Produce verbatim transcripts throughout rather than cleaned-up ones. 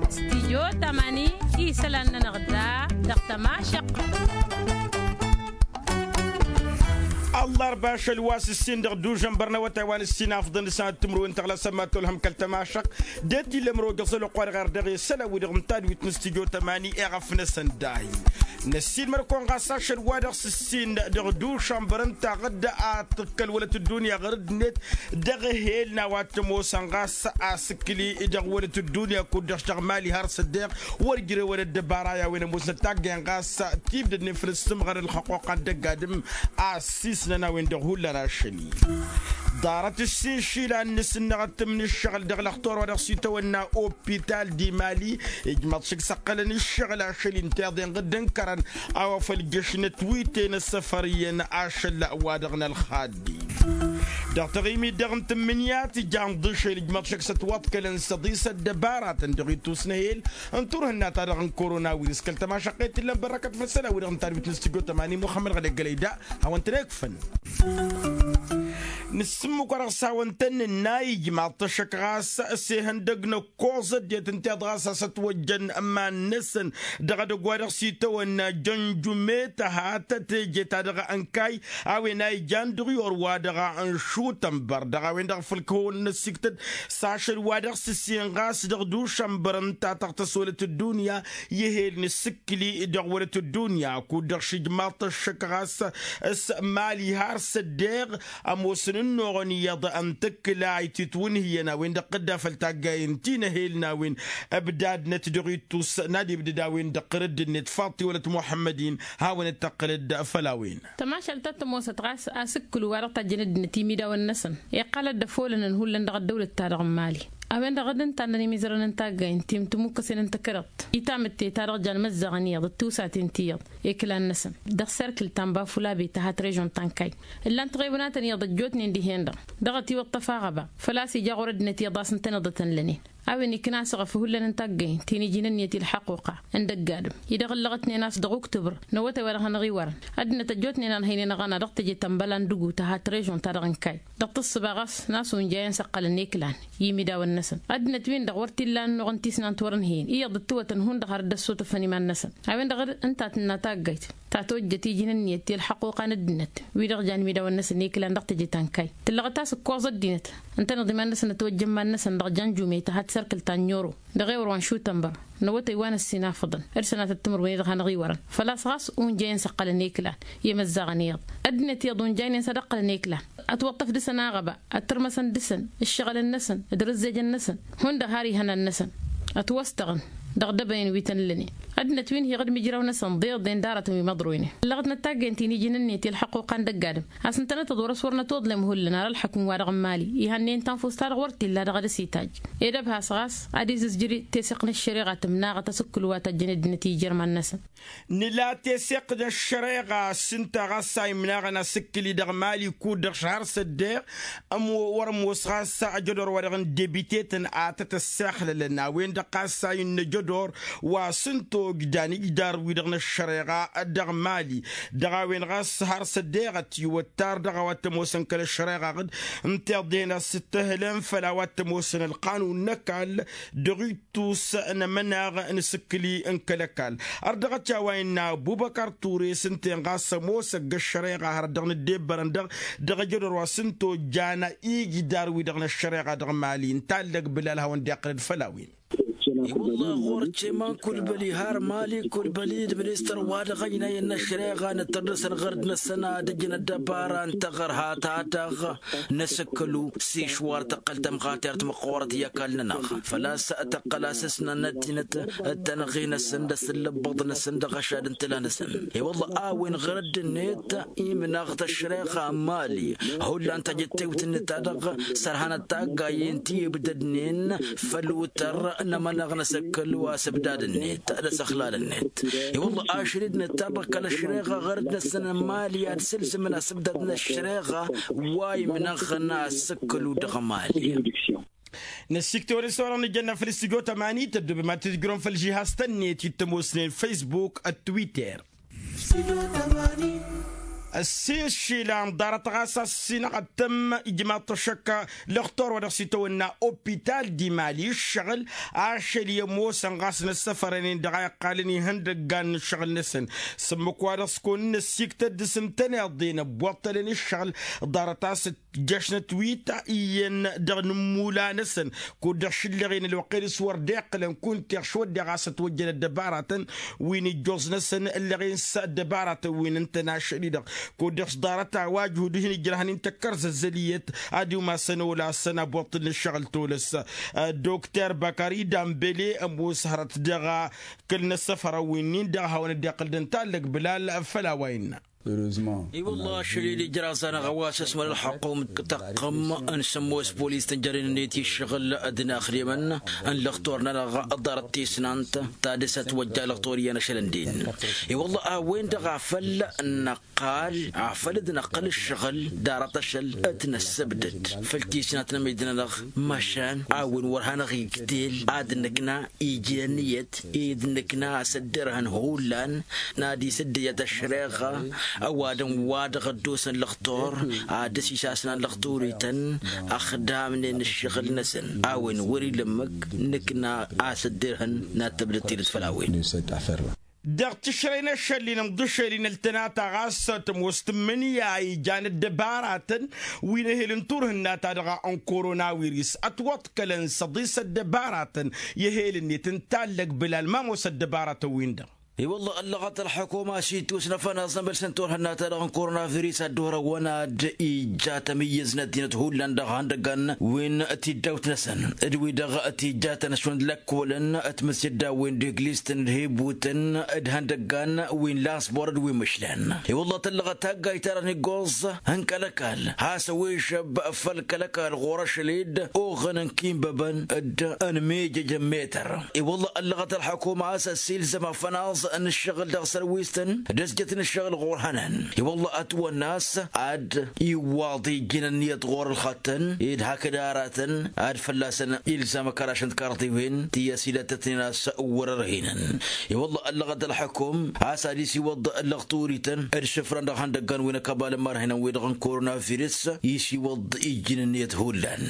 Stijyo tamani isălan-nănăɣ da dăɣ-tămašăq. Ăllarba ašăl wa s-ǝssin dăɣ-dužănbăr n-awătay wa n-ǝssin afḍăn d-sănat timǝrwen tăɣlasăn ma tolhăm kăl-tămašăq. D-e t-illa ămăro găẓăl ăqqoarăɣ ar dăɣ-e isălan-wi-dăɣ ǝnta d-wit n-stijyo tamani eɣăf-năsăn dahi. Năssiinmăr-kăwăn ɣas ašăl wa dăɣ-s ǝssin dăɣ-dušănbăr ǝnta ɣǝdda ad-t-ǝkkăl wălăt ăddunya ɣăr-dd-net dăɣ-ehel n-a-wa t-ămoosăn ɣas asǝkkǝli dăɣ-wălăt ăddunya kud-dăɣ s-dăɣ mali har s-ăddeɣ wăr jărewăn ăddăbara i-a-wen ămoosnăt taggăyăn ɣas tibdădnen făll-ǝssǝmɣăr ălxăqquqa n-dăgg-adǝm. Asisnăn a-wen-dăɣ hullan ašăl-i ḍarăt ǝssin išilan n-asǝnnăɣ ăttǝm n-ǝššăɣǝl dăɣ-lăxtur wa dăɣ-s itawănna opital di mali. Ijmăḍ šik s-ăqqălăn ǝššăɣǝl ašăl-i ǝnta iḍen ɣǝdd ǝnkărăn a-wa făl jăšnăt wi ten-ăssăfăr iyyăn ašăl wa dăɣ-nălxaddi. Dăɣ-taɣimit dăɣ-n tǝmmǝnǝya tijan ḍišel ijmăḍ šik s-ătwăḍkălăn s-ăḍisăt dăbaratăn dăɣ-ittus n-ehel n-turhǝnna-ta-dăɣ n-korona wirǝs kăl-tămašăqqet t-illăn bărrăkăt făll-isălan-wi-dăɣ ǝnta d-witnǝs tijjo tămani muxămmăd ɣădegg ălăyda. Hawăn-tăn-ekfăn nǝssǝmmǝk-wa-dăɣ s-hawăn-tăn-nǝnna ijmaḍ-t ăššăk ɣas s-ehăndăg n-ăkkoẓ ăddinăt ǝnta iḍ ɣas a-s ătwăjjăn iman-năsăn dăɣ-edăgg wa dăɣ-s itawănna jănjume tăhatăt teje-ta-dăɣ ănkay a-wen a ijan dăɣ-i orwa dăɣ-a n-šutănbăr dăɣ-a-wen-dăɣ făll-kăwăn-năsiktăd s-ašăl wa dăɣ-s ǝssin ɣas dăɣ-dušănbăr ǝnta tăɣtăs wălăt ăddunya i-ehel n-asǝkkǝli dăɣ-wălăt ăddunya kud-dăɣ šǝjmaḍ-t ăššăk ɣas s-mali har s-ăddeɣ ămoosăn ǝnnuɣăn iyyăḍ ăntăkkǝla ititwǝnhǝyăn a-wen-dăɣ tǝdda făll-taggayen ti n-ehel n-a-wen ǝbdadnăt dăɣ-ittus n-ad-ibdăd a-wen-dăɣ ɣărădd-net faḍt-i wălăt muḥămmăd-in. Hawăn-dd-tăqqǝlăd făll-a-wen. Tămašalt ta t-ămoosăt ɣas asǝkkǝlu wa dăɣ-tajjăn ăddinăt imidawăn-năsăn iqqal ad-dd-ăfolănăn hullan dăɣ-ăddăwlăt-ta-dăɣ n-mali. A-wen-dăɣ dd-ǝnta ănnăn imizărăn n-taggayen ti n-timukkăsen n-takărăḍt i-tamǝtte ta dăɣ-jan măzzaɣăn iyyăḍ d-tiwsaten ti iyyăḍ i-kǝlan-năsăn dăɣ-serkǝl ta n-bafulabe tăhat režon ta n-kay. Ǝllan-t ɣewnatăn iyyăḍ ăjjootnen dihen-dăɣ dăɣ-ătiwăṭṭăf aɣăba făl-a-s ija ɣur-ăddinăt iyyăḍ a-s ǝntăneḍ ad-tăn-lănen. A-wen ikna asăɣăf hullan n-taggayen ti n-iji n-ǝnniyăt i-ălḥăquqa n-dăgg-adǝm-i-dăɣ ǝllăɣătnen a-s dăɣ-uktǝbăr n-awătay wa dăɣ-hanăɣ-iwărăn. Ăddinăt ăjjootnen a ănhăynen aɣăna dăɣ-teje ta n-băla n-dăgu tăhat režon ta dăɣ-n kay dăɣ-tǝssǝba ɣas n-a-s unjayăn s-ăqqălăn i-kǝlan i-imidawăn-năsăn. Ăddinăt-win-dăɣ wăr t-illa ănnuɣ n-tisnant wăr-ǝnhăyăn iyyăḍ ǝttǝwătăn hundăɣ har dd-ăssutăfăn iman-năsăn. A-wen-dăɣ ǝnta tǝnna taggayt ta tojjăt iji n-ǝnniyăt i-ălḥăquqa n-ăddinăt wi-dăɣ jan imidawăn-năsăn i-kǝlan dăɣ-teje ta n-kay tǝllăɣăt a-s ǝkkoẓ ăddinăt ǝntăneḍ iman-năsăn ătwăjja n-iman-năsăn dăɣ-janjume tăhat sărkǝl ta n-oro dăɣ-ewăr wa n-šutănbăr n-awătay wa n-ǝssin afǝḍăn d-sănatăt timǝrwen i-dăɣ hanăɣ-iwărăn. Făl-a-s ɣas unjăyăn s-ăqqălăn i-kǝlan i-imăzzaɣăn iyyăḍ ăddinăt iyyăḍ unjaynen s-ad-ăqqălăn i-kǝlan ătwăṭṭăf dăɣ-săn aɣăba ăttărmăsăn dăɣ-săn ǝššăɣǝlăn-năsăn d-rǝzzejăn-năsăn hundăɣ har ihănan-năsăn. Ătwăstăɣăn dăɣ-dăbănen wi tăn-lănen ăddinăt wi n-hiɣ d-imǝjraw-năsăn ḍeḍen d-aratăn wi măḍroynen. Ǝllăɣăt n-ăttaggăyăn ti n-iji n-ǝnniyăt i-ălḥăqquqa n-dăgg-adǝm a-s ǝntănăt d-wăr-s wăr nătoḍlem hullan ar ălḥăkǝm-wa-dăɣ n-mali ihănnen tanfust-ta-dăɣ wăr t-illa dăɣ-ad-ăsităjj. Ed ăbhas ɣas ad-izǝzjǝr teseɣt n-ăššăreɣa tǝmnaɣăt asǝkkǝl wa tăjjăn ăddinăt i-ijărman-năsăn. Nǝla teseɣt n-ăššăreɣa s-ǝnta ɣas a imnaɣăn asǝkkǝl-i dăɣ-mali kud-dăɣ šăhăr s-ăddeɣ wăr-ămoos ɣas ajădor wa dăɣ-n debitetăn a tăt-ăssexlălăn a-wen-dăɣ ɣas a innă ajădor wa s-ǝnta ogdan ijdar-wi-dăɣ n-ăššăreɣa dăɣ-mali. Dăɣ-a-wen ɣas har s-ăddeɣăt iwăttar dăɣ-a-wa t-ămoosăn kăl-ăššăreɣa-ɣ-dd ǝnta iḍehen a-s ǝttăhǝlăn făll-a-wa t-ămoosăn ălqanun n-ăkall dăɣ-ittus n-amănaɣ n-asǝkkǝl-i n-kăl-ăkall. Ărdăɣăt i-a-wa innă ăbubăkăr ture s-ǝnta-en ɣas ămoos ăgg-ăššăreɣa hărăt dăɣ-nǝddebbărăn-dăɣ dăɣ-ajădor wa s-ǝnta ojjana ijdar-wi-dăɣ n-ăššăreɣa dăɣ-mali ǝnta allăg bǝlal hawăn-dd-iqqălăd făll-a-wen. I-wălla ɣur-s ceman kulbăli har mali kulbăli d-ministăr wa dăɣ-ăynayăn n-ăššăreɣa nǝttăr dăɣ-săn ɣărd-năsăn ad-ǝjǝn ăddăbara n-taɣărha ta dăɣ-năsǝkkǝlu s-išwar tăqqăl tămɣatert măqqoorăt i-ăkall-nănăɣ. Făl-a-s tăqqăl asǝsnăn ăddinăt d-tanăɣe-năsăn d-asǝllăbbăḍ-năsăn dăɣ-ašad n-tǝla-năsăn. I-wălla a-wen ɣărădd-net imnaɣ-t ăššăreɣa n-mali hullan tajǝttewt-net ta dăɣ-sărhanăt taggayen ti ǝbdădnen făll-utăr n-amănăɣ n-asǝkkǝl wa s-ǝbdad-net d-asăxlal-net. I-wălla ašăl-dd nǝttabăɣ kăl-ăššăreɣa ɣărădd-năsăn n-mali ad-sǝlzǝmăn asǝbdad n-ăššăreɣa wa imnăɣăn asǝkkǝlu dăɣ-mali. Năsiktăwăl s-orăɣ nǝjănna făll-studyo tămani tăddobem ad-tǝzjǝrăm făll-žihaz-tăn-net i-tămoosnen facebook d-twitter. Ăssiššila n-ḍarăt ɣas a-s ǝssinăɣ ad-tăm ijmaḍ-t ăššăk lăxtor wa dăɣ-s itawănna opital d-imali ǝššăɣǝl ašăl i-ămoosăn ɣas n-ăssăfărănen dăɣ-a iqqalăn ihăndăggan n-ǝššăɣǝl-năsăn. S-ǝmmǝk wa dăɣ-s kăwăn-in-ăssiktăt dăɣ-s ǝntăneḍ-en ăbbuḍtălăn ǝššăɣǝl ḍarăt a-s ǝjjăšnăt wi ta iyyăn dăɣ-inǝmmula-năsăn kud-dăɣ šǝllăɣen ălwăqq-en s-wăr dd-iqqǝlăn kunta iɣš wădden ɣas ătwăjjăn ăddăbaratăn wi n-ijjoẓ-năsăn ǝllăɣen s-ăddăbaratăn wi n-ǝntăn ašăl-i-dăɣ kud-dăɣ s-ḍarăt a-wa ǝjhud wi hin-ijrăhăn-in tăkkărzăzzăl iyyăt ad-iwmasăn olasăn abuṭṭǝl n-ǝššăɣǝl tolăs. Dr bakari dambele ămoos hărăt dăɣ-kăl-inăssăfărăn wi-nin-dăɣ a hawăn-dd-iqqǝl d-ǝntallăg bǝlal făll-a-wa innă. I-wălla ašăl-i d-ijraẓ-anăɣ a-wa s-ăsmăl ălxăqqum taqqăm n-sămmos polis tǝnjăren-net i-ǝššăɣǝl d-inaxdemăn n-lăxtor-nănăɣ ḍarăt tisnant ta dăr-s ătwăjja lăxtor iyyăn ašăl ǝndin. I-wălla a-wen-dăɣ a făl năqqal a făl dd-năqqăl ǝššăɣǝl ḍarăt ašăl d-năssăbdăd făll-tisnant n-amid-nănăɣ. Măšan a-wen wăr hanăɣ-igtel ad-nǝkna ijnăn iyyăt ed nǝkna a-s ăddărhăn hullan n-ad-isǝddǝyăt ăššăreɣa ăwadǝm wa dăɣ-ăddosăn lăxtor ad-dăr-s isasnan lăxturităn ăxdamnen ǝššăɣǝl-năsăn a-wen wăr-ila ǝmmǝk. Nǝkna a-s ăddărhăn n-ad-tăbdăd tidǝt făll-a-wen. Dăɣ-tǝšrăy n-ašăl-in ǝnḍǝšel-in ăltănata ɣas tămoos tǝmmǝnǝya ijan ăddăbaratăn wi n-ehel n-turhǝnna-ta-dăɣ n-koronawiris ătwăḍkălăn s-ăḍis ăddăbaratăn i-ehel-net ǝnta allăg bǝlal ma ămoos ăddăbaratăn-win-dăɣ. I-wălla ăllăɣăt ălxukuma s-itwǝsnăfăn aẓnămăl s-ǝnta orhănna-ta-dăɣ n-koronaviris ad-dd-orăwăn ad-ija tămǝyyǝznăt dinăt hullan dăɣ-ihăndăggan wi n-tiddawt-năsăn d-wi-dăɣ tijjatăn ăšwăn d-lăkkolăn d-timǝsjăddawen d-eglistăn d-hibutăn d-ihăndăggan wi n-lansbor d-wi n-imǝšlan. I-wălla tăllăɣăt taggayt-ta-dăɣ n-iggoẓ n-kăl-ăkall has-ăwešăb făll-kăl-ăkall ɣur-ašăl-dd oɣăn n-kinbăbăn d-ănmijăj n-metăr. I-wălla ăllăɣăt ălxukuma a-s ăssiilzăm afănaẓ n-ǝššăɣǝl dăɣ-sărwistăn d-ăzjăt n-ǝššăɣǝl ɣur-hănan. I-wălla ătwănna a-s ad-iwwaḍ ijjǝn ǝnniyăt ɣur-ălxăttăn ed hakd aratăn ad-fălla-săn ilzam ăkăraš n-tikarḍiwen ti ăsilăttătnen a-s wăr-ărhinăn. I-wălla ăllăɣăt ălxukum a-s ad-isiwăḍ ǝllăɣ turităn d-isǝfran dăɣ-ihăndăggan wi n-ăkăbalăn ma ărhinăn-wi-dăɣ n-koronavirus isiwăḍ ijjǝn ǝnniyăt hullan.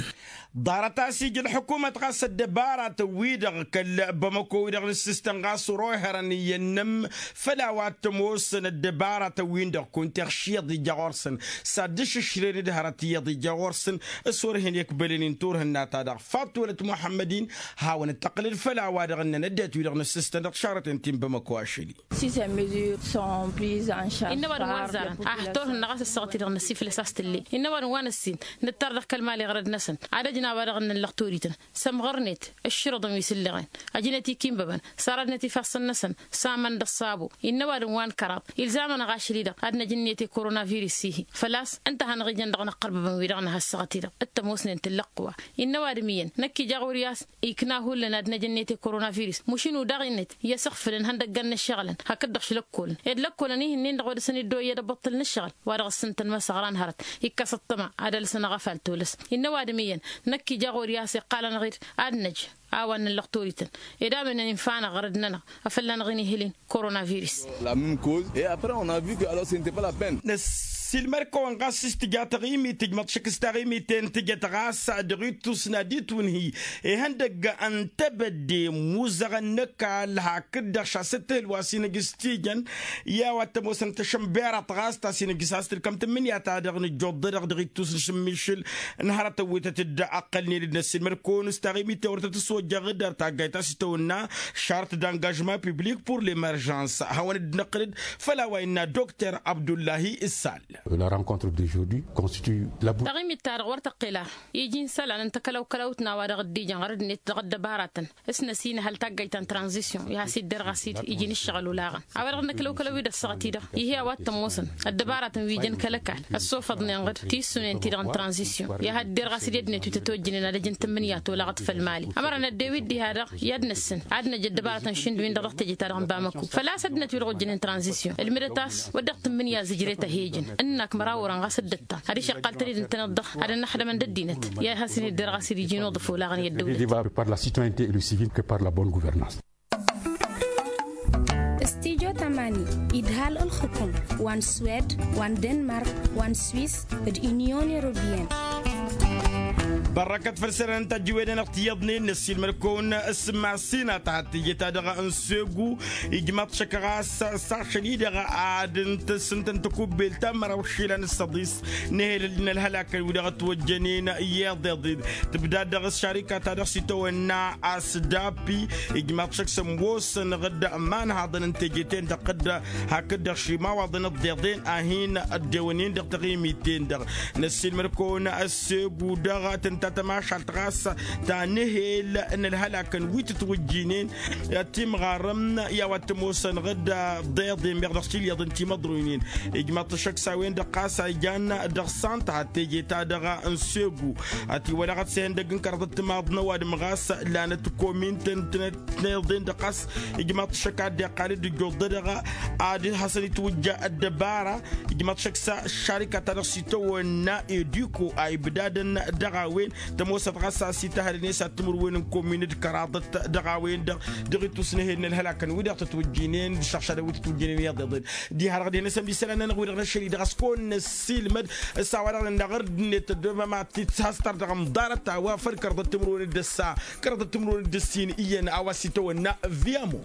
Ḍarăt a-s ija ălḥukumăt ɣas ăddăbaratăn-wi-dăɣ kăl-bamăko-wi-dăɣ n-ǝssǝstăn ɣas oroy hărăn iyyăn n-ǝmm făll-a-wa t-ămoosăn ăddăbaratăn-win-dăɣ kunta iɣš iyyăḍ ija ɣur-săn s-ad-dd-išǝšrăyăn d-hărăt iyyăḍ ija ɣur-săn. S-wăr hin-ikbălăn-in turhǝnna-ta-dăɣ faṭṭolăt muḥămmăd-in hawăn-dd-tăqqǝlăd făll-a-wa-dăɣ ǝnnăn ăddinăt-wi-dăɣ n-ǝssǝstăn dăɣ-tišarrăten ti n-bamăko ašăl-i. Ces mesures sont prises en charge. Innă ăwadǝm wa n-ăzzarăn ah turhǝnna ɣas ăssaɣăt-i-dăɣ n-ăssiflăs a-s tǝlle. Innă ăwadǝm wa n-ăssin nǝttar dăɣ-kăl-mali ɣărăd-năsăn ad-ăjna a-wa dăɣ-ǝnnăn lăxturităn sămɣărnet ǝššǝrǝḍăn wi s-ǝllăɣen ăjnet ikinbăbăn s-arădnet ifassăn-năsăn s-aman d-ăṣṣabo. Innă ăwadǝm wa n-kăraḍ ilzam-anăɣ ašăl-i-dăɣ ad-năj ǝnniyăt i-koronavirus-i-hi. Făl-a-s ǝnta a hanăɣ-ijăn dăɣ-inăqqărbăbăn-wi-dăɣ n-ad-has-săɣăt-i-dăɣ d-tămoosnen tǝllăqqǝwa. Innă ăwadǝm iyyăn năkk ija ɣur-i a-s ikna hullan ad-năj ǝnniyăt i-koronavirus mušǝnu daɣ-net i-asǝɣfǝlăn ihăndăggan n-ǝššăɣǝlăn hakd-dăɣ-š lăkkolăn ed lăkkolăn ihǝnnin-dăɣ wa dăr-săn iddoyăd ăbbuṭṭǝl n-ǝššăɣǝl wa dăɣ-s ǝntăn ma s-ăɣran hărăt. Ikkăs ăṭṭăma ad-ălsăn aɣăfal tolăs. Innă ăwadǝm iyyăn năkk ija ɣur-i a-s iqqal-anăɣ-dd ad-năj a-wa n-inǝllăɣ turiten ed a-wen năn-infa-anăɣ ɣărăd-nănăɣ afăl lanăɣ-in-ihǝlin koronavirus. La meme cause et après on a vu que alors ce n'etait pas la peine. Năssiilmăr-kăwăn ɣas s-tǝja taɣimit tǝjmăḍ šăkk s-taɣimit-en tǝjăt ɣas dăɣ-ittus n-ad-itwǝnhǝy ihăndăgg n-tebădde imuzăɣăn n-ăkall hakd-dăɣ šasăt ehǝl wa s-inǝjj s-tijăn i-a-wa t-ămoosăn tăšănberaḍt ɣas ta s-inǝjj s-has-tǝlkăm tǝmmǝnǝya-ta-dăɣ nǝjjoḍ-dăɣ dăɣ-ittus n-ašǝmmišǝl n-hărătăn wi tăt-dd-ăqqălnen d-năssiilmăr-kăwăn s-taɣimit-en wăr tăt-ăswăjjăɣ d-ar taggayt ta s-itawănna šart d-angajman publik pour l-emerjans. Hawăn-dd-năqqǝl-dd făll-a-wa innă dokter abdullahi issal. La rencontre d'aujourd'hui constitue la bu- taɣimit-ta-dăɣ wăr tăqqel ara iji n-isălan n-takălăwkălăwt n-a-wa dăɣ-dd-ijăn ɣărăd-net dăɣ-ăddăbaratăn s-năsinăhăl taggayt ta n-tranzisyon i-has-iddărɣ a-s dd-iji n-ǝššăɣǝl olaɣăn a-wa dăɣ-năkălăwkălăw-i d-ăssaɣăt-i-dăɣ. Ih'-e a-wa t-ămoosăn ăddăbaratăn wi ijăn kăl-ăkall ăssofăḍnen-ɣ-dd tissunen-ti-dăɣ n-tranzisyon i-ad-dd-irɣas d-i ăddinăt wi tătojjǝnen ad-ăj n-tǝmmǝnǝya tolaɣăt făll-mali. Ămăra năddew-dd diha-dăɣ i-ad-năssǝn ad-năj ăddăbaratăn šund-win-dăɣ dăɣ-teje-ta-dăɣ n-bamăko făl-a-s ăddinăt wi-dăɣ ojjănen tranzisyon ǝlmǝdăt a-s wăr dăɣ-tǝmmǝnǝya zǝjret a he-ijăn ǝnnak măraw orăn ɣas dd-ăttan ad-išăqqal tăned ǝntăneḍ-dăɣ ad-ănnăxdămăn d-ăddinăt i-ad-hasăn iddărɣ a-s dd-iji n-uḍǝf olaɣăn i-ăddăwlăt. Par la citoyenneté et le civil que par la bonne gouvernance. S-tijot. Almani, idhal ǝlxǝkǝm wa n-swed, wa n-denmark, wa n-swis, d-inyon europiyăn. Bărrăkăt făll-isălan n-tajǝwed-anăɣ tiyyăḍnen năssiilmăd-kăwăn s-masinat ad-teje-ta-dăɣ n-segu. Ijmaḍ-t šăkk ɣas s-ašăl-i-dăɣ ad-ǝntǝs ǝnta n-takubbelt ta n-măraw išilan s-săḍis n-ehel n-ălhălakăn wi-dăɣ ătwăjjănen i-iḍeḍen. Tǝbdad dăɣ-s šarika-ta-dăɣ s-itawănna asdapi. Ijmaḍ-t šăkk s-ămoosăn ɣǝd ămanhaḍăn n-teje-ten-dăɣ ɣǝd hakd-dăɣ šimawaḍăn ǝḍḍeḍen a hin-ăddewănen dăɣ-taɣimit-ten-dăɣ. Năssiilmăd-kăwăn ăssegu dăɣ-tǝnta tămašalt ɣas ta n-ehel n-ălhălakăn wi tǝtwǝjjinen timɣarăm i-a-wa t-ămoosăn ɣǝd ǝḍḍeḍen meɣ dăɣ-s ilyaḍăn timăḍroynen. Ijmaḍ-t šăkk s-a-wen-dăɣ ɣas a ijan dăɣ-sant had-teje-ta-dăɣ n-segu. Ătiwălăɣăt s-ehăndăgg n-kăraḍăt timaḍ n-ăwadǝm ɣas lanăt komintăn tǝnăt tneḍen-dăɣ ɣas ijmaḍ-t šăkk ad-dd-iqqal d-ǝjjuḍădăɣ ad-hasăn-itwǝjja ăddăbara. Ijmaḍ-t šăkk s-ašarikat-ta-dăɣ s-itawănna ediko a ibdadăn dăɣ-a-wen tămoosăt ɣas a-s itahălăn i-s ad-timǝrwen n-komin d-kăraḍăt dăɣ-a-wen-dăɣ dăɣ-itus n-ehed n-ălhălakăn wi-dăɣ tătwǝjjinen d-išăɣšadăn wi tătwǝjjinen i-iḍeḍen. Diha-dăɣ dăɣ-e-năsăn d-isălan-nănăɣ wi-dăɣ năššăl-i-dăɣ a-s kăwăn-năssiilmăd s-a-wa dăɣ-nănăɣ ărdǝnnet ăddoobăm ad-t-has-tăr dăɣ-amḍarăt a-wa făll-kăraḍăt timǝrwen d-ăssa kăraḍăt timǝrwen d-ăssin iyyăn a-wa s-itawănna. Viamo.